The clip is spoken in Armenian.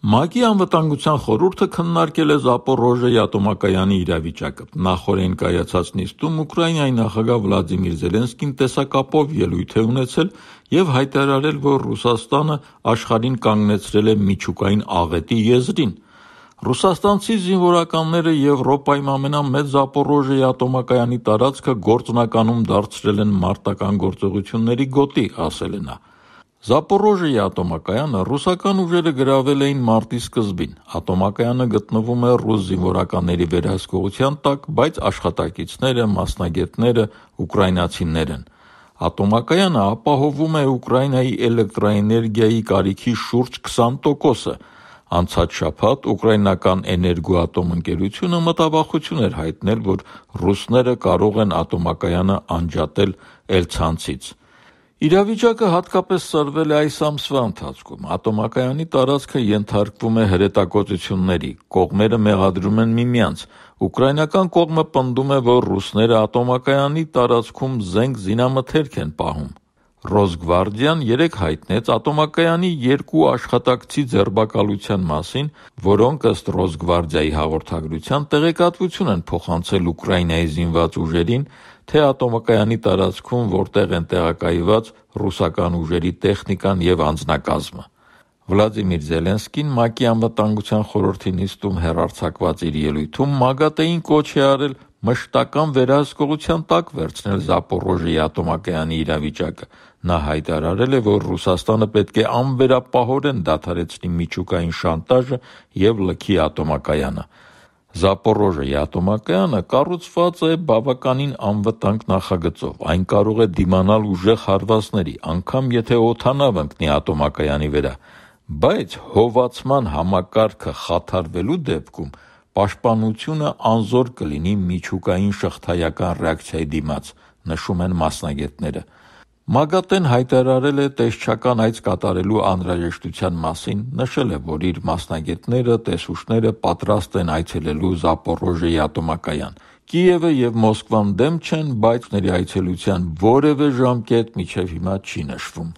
ՄԱԿ-ի անվտանգության խորհուրդը քննարկել է Զապորոժիեի ատոմակայանի իրավիճակը։ Նախօրեին կայացած նիստում Ուկրաինայի նախագահ Վլադիմիր Զելենսկին տեսակապով ելույթ է ունեցել և հայտարարել, որ Ռուսաստանը աշխարհին կանգնեցրել է միջուկային աղետի եզրին։ Ռուսաստանցի զինվորականները Եվրոպայում ամենամեծ Զապորոժիեի ատոմակայանի տարածքը գործնականում դարձրել են մարտական գործողությունների գոտի, ասել է նա։ Զապորոժիեի ատոմակայանը ռուսական ուժերը գրավել էին մարտի սկզբին։ Ատոմակայանը գտնվում է ռուս զինվորականների վերահսկողության տակ, բայց աշխատակիցները, մասնագետները ուկրաինացիներ են։ Ատոմակայանը ապահովում է Ուկրաինայի էլեկտրաէներգիայի կարիքի շուրջ 20%-ը։ Անցած շաբաթ ուկրաինական էներգոատոմ ընկերությունը մտավախություն էր հայտնել, որ ռուսները կարող են ատոմակայանը անջատել Էլ-ցանցից։ Իրավիճակը հատկապես սրվել է այս ամսվա ընթացքում։ Ատոմակայանի տարածքը ենթարկվում է հրետակոծությունների, կողմերը մեղադրում են միմյանց։ Ուկրաինական կողմը պնդում է, որ ռուսները ատոմակայանի տարածքում զենք զինամթերք են պահում։ Ռոսգվարդիան երեկ հայտնեց ատոմակայանի 2 աշխատակցի ձերբակալության մասին, որոնք ըստ Ռոսգվարդիայի հաղորդագրության տեղեկատվություն են փոխանցել Ուկրաինայի զինված ուժերին, թե ատոմակայանի տարածքում որտեղ են տեղակայված ռուսական ուժերի տեխնիկան և անձնակազմը։ Վլադիմիր Զելենսկին ՄԱԿ-ի անվտանգության խորհրդի նիստում հեռարձակված իր ելույթում ՄԱԳԱՏԷ-ին կոչ է արել մշտական վերահսկողության տակ վերցնել Զապորոժիեի ատոմակայանի իրավիճակը։ Նա հայտարարել է, որ Ռուսաստանը պետք է անվերապահորեն դադարեցնի միջուկային շանտաժը և լքի ատոմակայանը։ Զապորոժիեի ատոմակայանը կառուցված է բավականին անվտանգ նախագծով։ Այն կարող է դիմանալ ուժեղ հարվածների, անգամ եթե օդանավ ընկնի ատոմակայանի վրա, բայց հովացման համակարգը խաթարվելու դեպքում պաշտպանությունը անզոր կլինի միջուկային շղթայական ռեակցիայի դիմաց, նշում են մասնագետները։ ՄԱԳԱՏԷ-ն հայտարարել է տեսչական այց կատարելու անհրաժեշտության մասին, նշել է, որ իր մասնագետները, տեսուչները պատրաստ են այցելելու Զապորոժիեի ատոմակայան։ Կիևը և Մոսկվան դեմ չեն, բայց ների այցելության որևէ ժամկետ մինչև հիմա չի նշվում։